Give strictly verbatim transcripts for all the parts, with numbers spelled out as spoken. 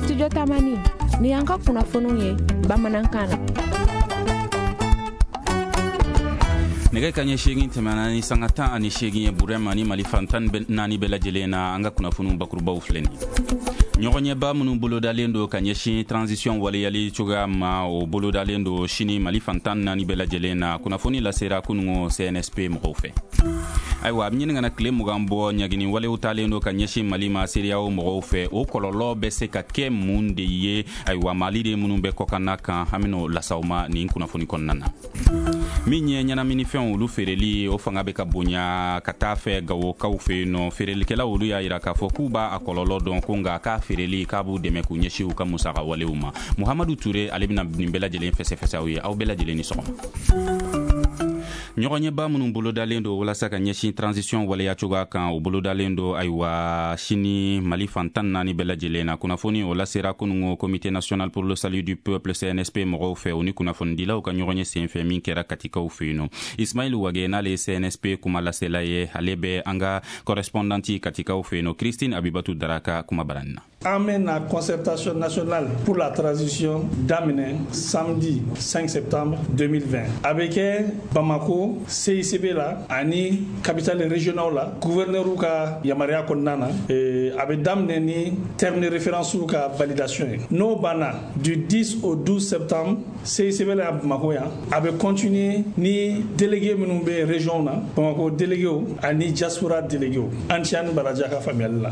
Studio Tamani, ni y'an ka kunnafoniw ye bamanankan na. Nɛgɛ kaɲɛ seegin tɛmɛna ni sanga tan ani seegin ye Burema ni Mali fan tan naani bɛɛ lajɛlen na. An ka kunnafoniw bakurubaw filɛ nin ye. Ɲɔgɔnɲɛba minnu bolodalen don ka ɲɛsin transition waleyali cogoya ma, o bolodalen don sini Mali fan tan naani bɛɛ lajɛlen na. Kunnafoni lasera kunungo C N S P mɔgɔw fɛ. Ayiwa, a bɛ ɲini ka na tile mugan bɔ, ɲagini walew talen don ka ɲɛsin Mali ma CEDEAO mɔgɔw fɛ. O kɔlɔlɔ bɛ se ka kɛ mun de ye, ayiwa, Mali de minnu bɛ kɔkanna kan? An bɛn'o lasaw ma nin kunnafoni kɔnɔna na. Min ye ɲɛnaminifɛnw olu feereli, o fanga bɛ ka bonya ka taa fɛ Gawokaw fɛ yen nɔ. Feerelikɛlaw olu y'a yira k'a fɔ k'u b'a a kɔlɔlɔ dɔn, ko nka k'a feereli k'a b'u dɛmɛ k'u ɲɛsin u ka musaka walew ma. Muhamadu Ture, ale bɛna nin bɛɛ lajɛlen fɛsɛfɛsɛ aw ye. Aw bɛɛ lajɛlen ni sɔgɔma. Ɲɔgɔnɲɛba minnu bolodalen don walasa ka ɲɛsin transition waleya cogoya kan, o bolodalen don, ayiwa, sini Mali fan tan naani bɛɛ lajɛlen na. Kunnafoni o lasera kunungo Comité national pour le salut du peuple, C N S P mɔgɔw fɛ, o ni kunnafonidilaw ka ɲɔgɔnye sen fɛ min kɛra Katikaw fɛ yen nɔ. Ismail Wage, n'ale ye C N S P kuma lasela ye, ale bɛ an ka correspondante Katikaw fɛ yen nɔ, Christine Abibatu Daraka, kuma barani na. An bɛna concertation nationale pour la transition daminɛ samedi cinq septembre deux mille vingt. A bɛ kɛ Bamako C I C B la ani capitale régionale la, gouverneur ka yamaruya kɔnɔna na. A bɛ daminɛ ni terme de référence ka validation ye. N'o banna, du dix au douze septembre, C I C B la Bamako yan, a bɛ continuer ni délégué minnu bɛ région na, Bamako délégué ani diaspora délégué. An ci ani baraja ka faamuyali la.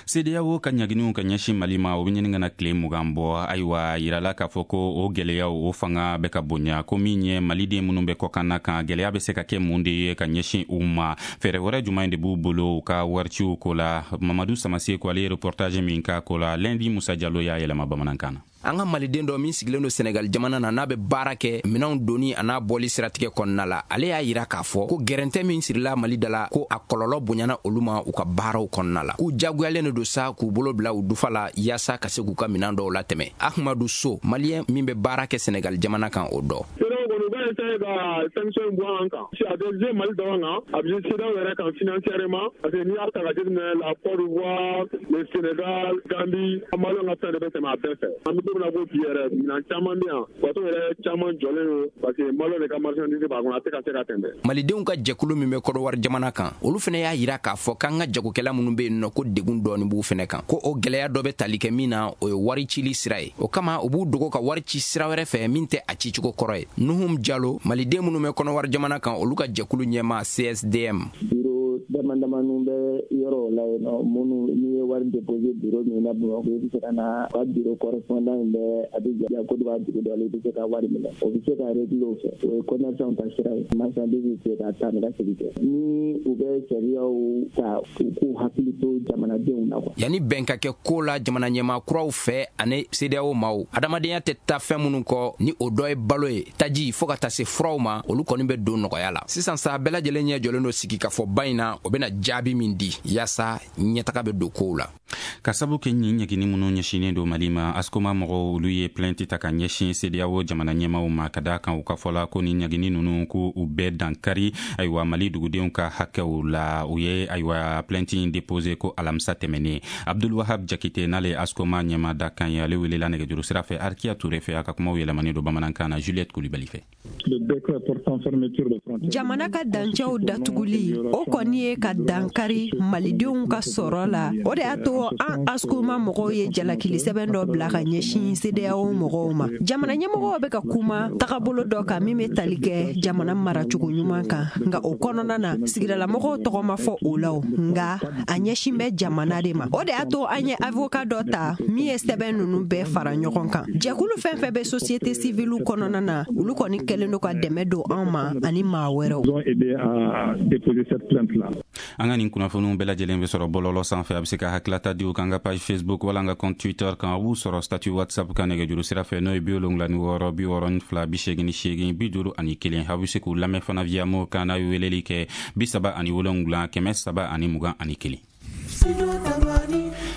CEDEAO ka ɲaginiw ka ɲɛsin Mali ma, o bɛ ɲini ka na tile mugan bɔ. Ayiwa, yirala k'a fɔ ko o gwɛlɛyaw, o fanga bɛ ka bonya, ko min ye Maliden minnu bɛ kɔkanna kan, gwɛlɛya bɛ se ka kɛ mun de ye ka ɲɛsin u ma? Fɛɛrɛ wɛrɛ juman de b'u bolo u ka wariciw ko la? Mamadu Samase ko ale ye reportage min k'a ko la, Lundi Musa Jalo y'a yɛlɛma bamanankan na. An ka Maliden dɔ min sigilen don Senegal jamana na, n'a bɛ baara kɛ minɛnw doni a n'a bɔli siratigɛ kɔnɔna la, ale y'a yira k'a fɔ ko gɛrɛntɛ min sirila Mali da la, ko a kɔlɔlɔ bonyana olu ma u ka baaraw kɔnɔna la, k'u jagoyalen de don sa k'u bolo bila u dufa la yaasa ka se k'u ka minɛn dɔw latɛmɛ. Ahmadu So, Maliyɛn min bɛ baara kɛ Senegal jamana kan, o dɔ. Kɔni u b'a essayer ka sanction bɔ an kan. A bɛ jouer Mali dɔrɔn kan, a bɛ jouer CEDEAO yɛrɛ kan financièrement, parce que n'i y'a ta ka jateminɛ, la Côte d'Ivoire, le Sénégal, Gambie, Maliyɛnw ka fɛn de bɛ tɛmɛ a bɛɛ fɛ. An bɛ don min na ko bi yɛrɛ, minɛn caman bɛ yan, bateau yɛrɛ caman jɔlen don parce que Maliyɛnw de ka marchandise b'a kɔnɔ, a tɛ ka se ka tɛmɛ. Malidenw ka jɛkulu min bɛ Kɔdɔwari jamana kan, olu fana y'a yira k'a fɔ k'an ka jagokɛla minnu bɛ yen nɔ, ko degun dɔɔni b'u fɛnɛ kan, ko o gwɛlɛya dɔ bɛ tali kɛ min na, o ye wari cili sira ye. O kama u b'u dogo ka wari ci sira wɛrɛ fɛ min tɛ a cicogo kɔrɔ ye. Nuhum Jalo, Maliden minnu bɛ Kɔnɔwari jamana kan, olu ka jɛkulu ɲɛma C S D M. Bureau dama damaniw bɛ yɔrɔw la yen nɔ, minnu n'i ye wari déposé bureau min na Bamakɔ, i bɛ se ka na u ka bureau correspondant in bɛ Abidjan, Côte d'Ivoire dugu dɔ la, i bɛ se ka wari minɛ, o bɛ se ka régler o fɛ. O ye commerçant ta sira ye. Marchandise bɛ se ka taa ni ka segin kɛ ni u bɛ sariyaw ta, u k'u hakili to jamanadenw na quoi. Yanni bɛn ka kɛ ko la jamana ɲɛmaa kuraw fɛ ani CEDEAO maaw, adamadenya tɛ taa fɛn minnu kɔ, ni o dɔ ye balo ye, taji, fɔɔ ka taa se furaw ma, olu kɔni bɛ don nɔgɔya la sisan sa. Bɛɛ lajɛlen ɲɛ jɔlen don sigikafɔba in na, o bɛna jaabi min di yaasa ɲɛtaga bɛ don kow la. Ka sabu kɛ ɲin ɲɛgini minnu ɲɛsinnen don Mali ma, ASCOMA mɔgɔw olu ye plainte ta ka ɲɛsin CEDEAO jamana ɲɛmaw ma, ka daa kan u ka fɔla ko ni ɲagini ninnu ko u bɛɛ dankari, ayiwa, Mali dugudenw ka hakɛw la. U ye, ayiwa, plainte in déposé ko alamisa tɛmɛnen. Abdulwahab Jakite, n'ale ye ASCOMA ɲɛma da kan ye, ale welela nɛgɛjuru sira fɛ Arkiya Ture fɛ. A ka kumaw yɛlɛmani don bamanankan na Juliette Kulibali fɛ. Jamana ka dancɛw datuguli, o kɔni ye ka dankari Malidenw ka sɔrɔ la. O de y'a to an ASCOMA mɔgɔw ye jalakili sɛbɛn dɔ bila ka ɲɛsin CEDEAO mɔgɔw ma. Jamana ɲɛmɔgɔw bɛ ka kuma tagabolo dɔ kan min bɛ tali kɛ jamana maracogo ɲuman kan, nka o kɔnɔna na, sigidalamɔgɔw tɔgɔ ma fɔ o la, o nka a ɲɛsin bɛ jamana de ma. O de y'a to an ye avocat dɔ ta min ye sɛbɛn ninnu bɛɛ fara ɲɔgɔn kan. Jɛkulu fɛn fɛn bɛ société civile kɔnɔna na, olu kɔni kɛlen don ka dɛmɛ don anw ma ani maa wɛrɛw. An ka nin kunnafoniw bɛɛ lajɛlen bɛ sɔrɔ bɔlɔlɔ sanfɛ. A bɛ se ka hakilata di u kan ka page Facebook wala an ka compte Twitter kan. A b'u sɔrɔ statut WhatsApp kan nɛgɛjuru sira fɛ, n'o ye bi wolonwula ni wɔɔrɔ bi wɔɔrɔ ni fila bi seegin ni seegin bi duuru ani kelen. A bɛ se k'u lamɛn fana via mo kan n'a ye weleli kɛ bi saba ani wolonwula kɛmɛ saba ani mugan ani kelen.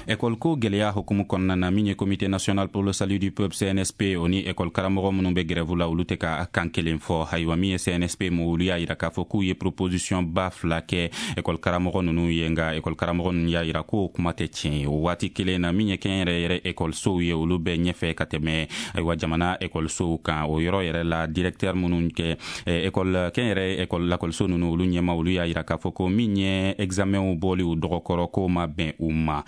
École ko gɛlɛya hukumu kɔnɔna na, min ye Comité national pour le salut du peuple C N S P, o ni école karamɔgɔ minnu bɛ grève la, olu tɛ ka kan kelen fɔ. Ayiwa, min ye C N S P mo, olu y'a yira k'a fɔ k'u ye proposition ba fila kɛ école karamɔgɔ ninnu ye, nka école karamɔgɔ ninnu y'a yira k'o kuma tɛ tiɲɛ ye. O waati kelen na, min ye kɛnyɛrɛ yɛrɛ école ye, olu bɛ ɲɛfɛ ka tɛmɛ, ayiwa, jamana école kan. O yɔrɔ yɛrɛ la, directeur minnu kɛ école kɛnyɛrɛ école lakɔliso ninnu, olu ɲɛma, olu y'a yira k'a fɔ ko min ye examenw bɔli u dɔgɔkɔrɔ, k'o ma bɛn u ma.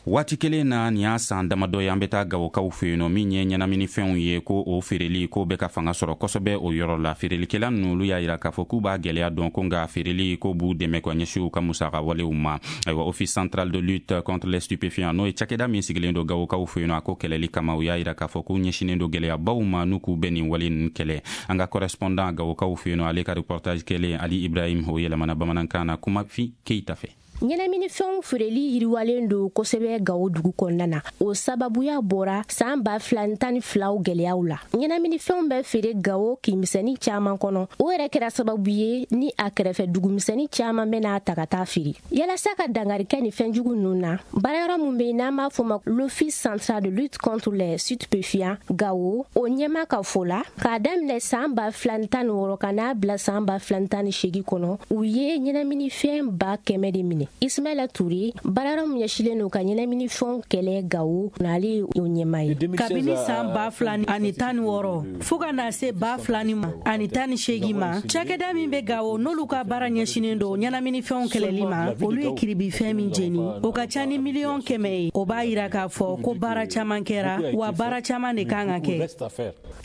Waati kelen na, nin y'a san damadɔ ye, an bɛ taa Gawokaw fɛ yen nɔ. Min ye ɲɛnaminifɛnw ye, ko o feereli ko bɛ ka fanga sɔrɔ kosɛbɛ o yɔrɔ la. Feerelikɛla ninnu, olu y'a yira k'a fɔ k'u b'a gɛlɛya dɔn, ko nka feereli ko b'u dɛmɛ ka ɲɛsin u ka musaka walew ma. Ayiwa, Office central de lutte contre les stupéfiants, n'o ye cakɛda min sigilen don Gawokaw fɛ yen nɔ a ko kɛlɛli kama, u y'a yira k'a fɔ k'u ɲɛsinnen don gɛlɛyabaw ma n'u k'u bɛ nin wale ninnu kɛlɛ. An ka correspondant Gawokaw fɛ yen nɔ, ale ka reportage kɛlen, Ali Ibrahim, o yɛlɛmana bamanankan na Kumafi Keyita fɛ. Ɲɛnaminifɛnw feereli yiriwalen don kosɛbɛ Gawo dugu kɔnɔna na. O sababuya bɔra saan ba fila ni tan ni filaw gwɛlɛyaw la. Ɲɛnaminifɛnw bɛ feere Gawo kinmisɛnni caaman kɔnɔ. O yɛrɛ kɛra sababu ye ni a kɛrɛfɛ dugumisɛnni caaman bɛna ta ka taa feere. Yalasa ka dangari kɛ ni fɛnjugu ninnu na, baarayɔrɔ min be n'an b'a fɔ ma l'Office central de lutte contre les stupéfiants Gawo, o ɲɛma ka fɔ la, k'a daminɛ saan ba fila ni tan ni wɔɔrɔ ka n'a bila saan ba fila ni tan ni seegin kɔnɔ, u ye ɲɛnaminifɛn ba kɛmɛ de minɛ. Ismaila Toure, baarayɔrɔ min ɲɛsilen don ka ɲɛnaminifɛnw kɛlɛ Gawo, n'ale ye o ɲɛma ye. Kabini saan ba fila ani tan ni wɔɔrɔ fo ka na se ba fila ni ma ani tan ni seegin ma, cakɛda min bɛ Gawo, n'olu ka baara ɲɛsinnen don ɲɛnaminifɛnw kɛlɛli ma, olu ye kiribifɛn min jeni, o ka ca ni miliyɔn kɛmɛ ye. O b'a yira k'a fɔ ko baara caman kɛra, wa baara caman de kan ka kɛ.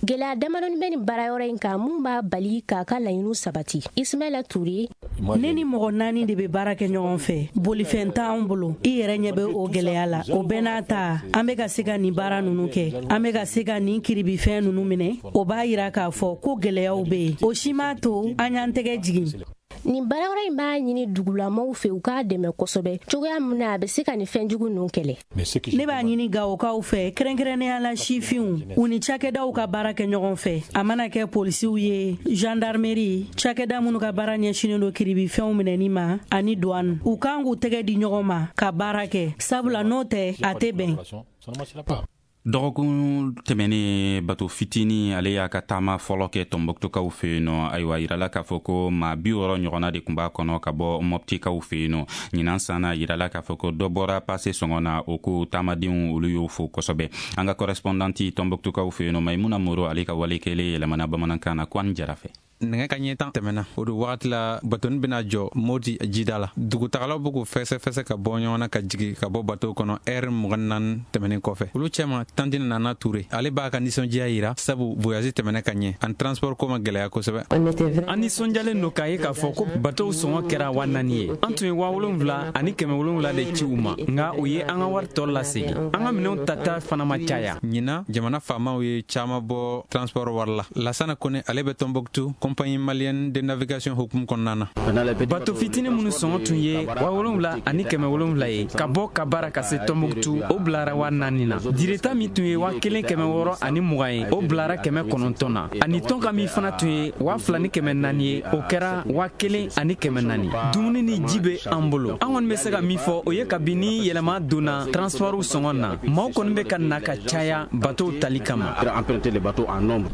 Gɛlɛya damadɔni bɛ nin baarayɔrɔ in kan mun b'a bali k'a ka laɲiniw sabati. Ismaila Toure: Ne ni mɔgɔ naani de bɛ baara kɛ ɲɔgɔn fɛ. Bolifɛn t'anw bolo, i yɛrɛ ɲɛ bɛ o gɛlɛya la. O bɛɛ n'a ta, an bɛ ka se ka nin baara ninnu kɛ, an bɛ ka se ka nin kiribifɛn ninnu minɛ. O b'a yira k'a fɔ ko gɛlɛyaw bɛ yen, o si m'a to an y'an tɛgɛ jigin. Nin baarayɔrɔ in b'a ɲini dugulamaw fɛ u k'a dɛmɛ kosɛbɛ cogoya min na a bɛ se ka nin fɛnjugu ninnu kɛlɛ. Ne b'a ɲini Gawokaw fɛ, kɛrɛnkɛrɛnnenya la sifinw, u ni cakɛdaw ka baara kɛ ɲɔgɔn fɛ, a mana kɛ polisiw ye, gendarmerie, cakɛda minnu ka baara ɲɛsinnen don kiribifɛnw minɛni ma, ani douane, u kan k'u tɛgɛ di ɲɔgɔn ma ka baara kɛ, sabula n'o tɛ, a tɛ bɛn. Dɔgɔkun tɛmɛnen, bato fitini ale y'a ka taama fɔlɔ kɛ Tɔnbɔkutukaw fɛ yen nɔ. Ayiwa, yirala k'a fɔ ko maa bi wɔɔrɔ ɲɔgɔnna de tun b'a kɔnɔ ka bɔ Mɔptikaw fɛ yen nɔ. Ɲinan san na, yirala k'a fɔ ko dɔ bɔra pase sɔngɔ na. O ko taamadenw, olu y'o fo kosɛbɛ. An ka correspondante Tɔnbɔkutukaw fɛ yen nɔ, Maimuna Moro, ale ka wale kɛlen yɛlɛmana bamanankan na Kwani Jara fɛ. Nɛgɛ ka ɲɛ tan tɛmɛna, o do wagati la batoni bɛna jɔ Moti jida la. Dugutagalaw bɛ k'u fɛsɛfɛsɛ ka bɔ ɲɔgɔn na ka jigi ka bɔ bato kɔnɔ. Ɛri mugan naani tɛmɛnen kɔfɛ, olu cɛma Tantine Nana Ture, ale b'a ka nisɔndiya yira, sabu voyage tɛmɛnɛ ka ɲɛ, ani transport ko ma gɛlɛya kosɛbɛ. An nisɔndiyalen don k'a ye k'a fɔ ko batow sɔngɔ kɛra wa naani ye. An tun ye waa wolonwula ani kɛmɛ wolonwula de ci u ma, nka u ye an ka wari tɔ lasegin. An ka minɛnw tata fana ma caya. Ɲinan, jamana faamaw ye caman bɔ transport wari la. Lasana Kone, ale bɛ Tɔnbɔkutu Compagnie malienne de navigation hukumu kɔnɔna na. Bato fitinin minnu sɔngɔ tun ye waa wolonwula ani kɛmɛ wolonwula ye ka bɔ ka baara ka se Tɔnbɔkutu, o bilara waa naani na. Direta min tun ye waa kelen kɛmɛ wɔɔrɔ ani mugan ye, o bilara kɛmɛ kɔnɔntɔn na. Ani tɔnka min fana tun ye waa fila ni kɛmɛ naani ye, o kɛra waa kelen ani kɛmɛ naani. Dumuni ni ji bɛ an bolo. An kɔni bɛ se ka min fɔ, o ye kabini yɛlɛma donna transportw sɔngɔ na, maaw kɔni bɛ ka na ka caya batow tali kama.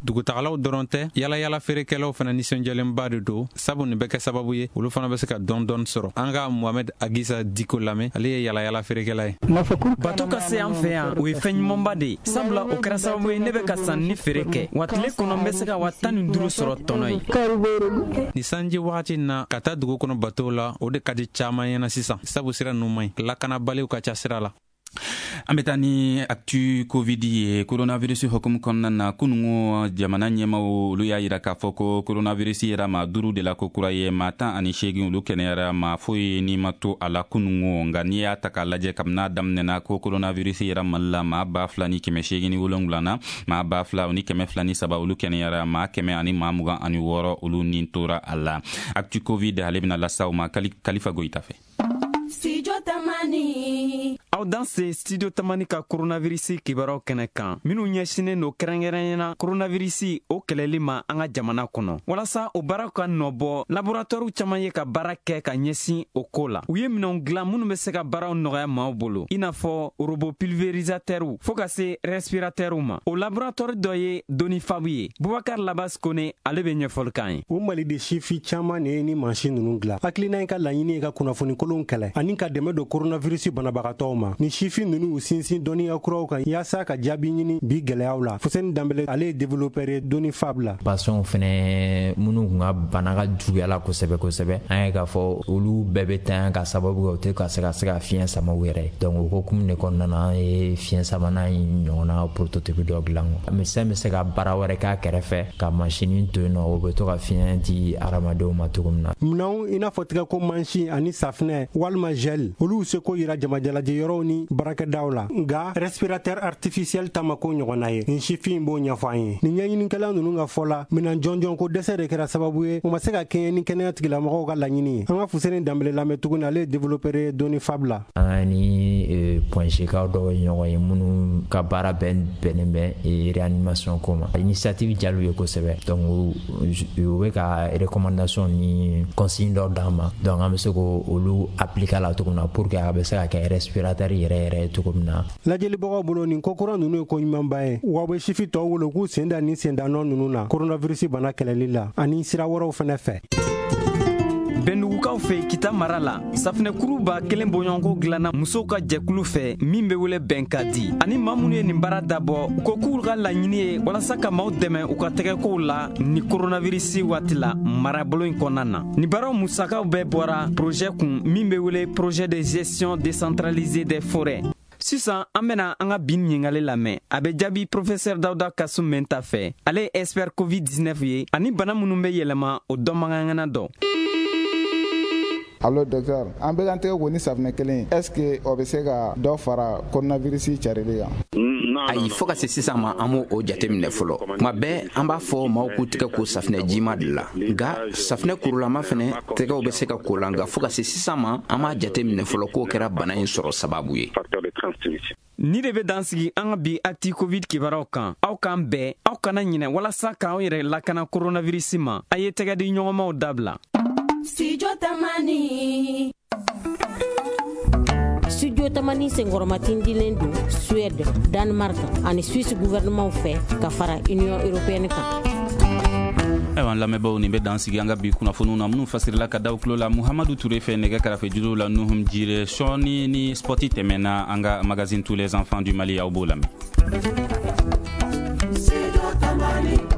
Dugutagalaw dɔrɔn tɛ, yalayala feerekɛlaw fana nisɔndiyalenba de don, sabu nin bɛ kɛ sababu ye olu fana bɛ se ka dɔɔni dɔɔni sɔrɔ. An ka Mohamed Agisa Diko lamɛn, ale ye yalayala feerekɛla ye. Bato ka se an fɛ yan, o ye fɛn ɲumanba de ye, sabula o kɛra sababu ye ne bɛ ka sanni ni feere kɛ, wa tile kɔnɔ n bɛ se ka wa tan ni duuru sɔrɔ tɔnɔ ye. Ni sanji wagati na, ka taa dugu kɔnɔ batow la, o de ka di caman ɲɛna sisan, sabu sira ninnu man ɲi, lakanabaliw ka ca sira la. An bɛ taa ni actu Covid ye. Coronavirus hukumu kɔnɔna na, kunungo jamana ɲɛmaw, olu y'a yira k'a fɔ ko coronavirus yɛrɛ maa duuru de la ko kura ye, maa tan ani seegin olu kɛnɛyara, maa foyi ni ma to a la kunungo. Nka n'i y'a ta k'a lajɛ, kabini n'a daminɛna ko coronavirus yɛrɛ Mali la, maa ba fila ni kɛmɛ seegin ni wolonwula na, maa ba fila ni kɛmɛ fila ni saba olu kɛnɛyara, maa kɛmɛ ani maa mugan ani wɔɔrɔ olu ni tora a la. Actu Covid, ale bɛna lasaw ma Kalifa Goyita fɛ. Studio Tamani. Aw Aw dan se Studio Tamani ka coronavirus kibaruyaw kɛnɛ kan, minnu ɲɛsinnen don kɛrɛnkɛrɛnnenya coronavirus o kɛlɛli ma an ka jamana kɔnɔ. Walasa o baaraw ka nɔbɔ, laboratoire caman ye ka baara kɛ ka ɲɛsin o ko la. U ye minɛnw dilan minnu bɛ se ka baaraw nɔgɔya maaw bolo, i n'a fɔ robot pulvérisateur fo ka se respirateur ma. O laboratoire dɔ ye Donifabu ye. Bubakar Labas Kone, ale bɛ ɲɛfɔli k'an ye. O Maliden sifi caman de ye ni mansin ninnu dilan. Hakilina in ka laɲini ye ka kunnafoni kolon kɛlɛ ani ka dɛmɛ don coronavirus banabagatɔw ma. Ni sifin ninnu y'u sinsin dɔnniya kuraw kan yaasa ka jaabi ɲini bi gɛlɛyaw la. Fuseni Danbele, ale ye développeur ye Donifab la. Patients fɛnɛ minnu kun ka bana ka juguya la kosɛbɛ kosɛbɛ, an ye k'a fɔ olu bɛɛ bɛ tanya ka sababu kɛ u tɛ ka se ka se ka fiɲɛ sama u yɛrɛ ye. Donc o hokumu de kɔnɔna na, an ye fiɲɛ samanan in ɲɔgɔnna prototype dɔ dilan. Médecin bɛ se ka baara wɛrɛ k'a kɛrɛfɛ ka machine to yen nɔ, o bɛ to ka fiɲɛ di hadamadenw ma cogo min na. Minɛnw i n'a fɔ tigɛko mansin ani safinɛ walima gel, olu seko yira jamajalajɛ yɔrɔw ni baarakɛdaw la. Nka respirateur artificiel ta ma ko ɲɔgɔnna ye. Nin sifin b'o ɲɛfɔ an ye. Nin ɲɛɲinikɛla ninnu ka fɔ la, minɛn jɔnjɔn ko dɛsɛ de kɛra sababu ye u ma se ka kɛɲɛ ni kɛnɛya tigilamɔgɔw ka laɲini ye. An ka Fuseni Danbele lamɛn tuguni, ale ye développeur ye Donifab la. An ni Point G-kaw dɔw ye ɲɔgɔn ye minnu ka baara bɛn bɛnnen bɛ réanimation ko ma. Initiative diyal'u ye kosɛbɛ. Donc u bɛ ka recommandation ni consigne dɔw d'an ma. Donc an bɛ se k'olu appliquer la cogo min na pour que a bɛ se ka kɛ respirateur yɛrɛ yɛrɛ ye cogo min na. Lajɛlibagaw bolo, nin kokura ninnu ye ko ɲumanba ye, wa u bɛ sifi tɔw wolo k'u sen da nin sendanɔ ninnu na coronavirus bana kɛlɛli la ani sira wɛrɛw fɛnɛ fɛ. Bɛndugukaw fɛ Kita mara la, safinɛkuru ba kelen bɔɲɔgɔnko dilanna musow ka jɛkulu fɛ min bɛ wele Bɛn ka di. Ani maa minnu ye nin baara dabɔ, u ko k'u ka laɲini ye walasa ka maaw dɛmɛ u ka tɛgɛkow la ni coronavirus waati la marabolo in kɔnɔna na. Nin baaraw musakaw bɛɛ bɔra projet kun min bɛ wele projet de gestion décentralisée des forêts. Sisan an bena an ka bin ɲininkali lamɛn. A bɛ jaabi professeur Dawuda Kasum Menta fɛ. Ale ye expert covid dix-neuf ye ani bana minnu bɛ yɛlɛma o dɔnbagaŋana dɔ. Allo docteur, an bɛ k'an tɛgɛ ko ni safunɛ kelen, est ce que o bɛ se ka dɔ fara coronavirus carili kan? Ayi, fo ka se sisan ma, an m'o o jateminɛ fɔlɔ. Tuma bɛɛ an b'a fɔ maaw k'u tɛgɛ ko safunɛ jima de la, nka safunɛ kurulama fɛnɛ tɛgɛw bɛ se ka ko la, nka fo ka se sisan ma, an m'a jateminɛ fɔlɔ k'o kɛra bana in sɔrɔ sababu ye. Ni de bɛ dan sigi an ka bi acti covid kibaruyaw kan. Aw k'an bɛn, aw kana ɲinɛ walasa k'anw yɛrɛ lakana coronavirus ma, a ye tɛgɛ di ɲɔgɔnmaw dabila. Studio Tamani. Studio Tamani senkɔrɔmatindilen don Suède, Danemark ani Suisse gouvernement fɛ ka fara Union européenne kan. Ayiwa, an lamɛnbaaw, nin bɛ dan sigi an ka bi kunnafoniw na minnu fasirila ka da tulo la Muhamadu Ture fɛ, nɛgɛ karafe juru la Nuhum Jire. Sɔɔni ni spoti tɛmɛna, an ka magazine Tous les enfants du Mali, aw b'o lamɛn. Studio Tamani.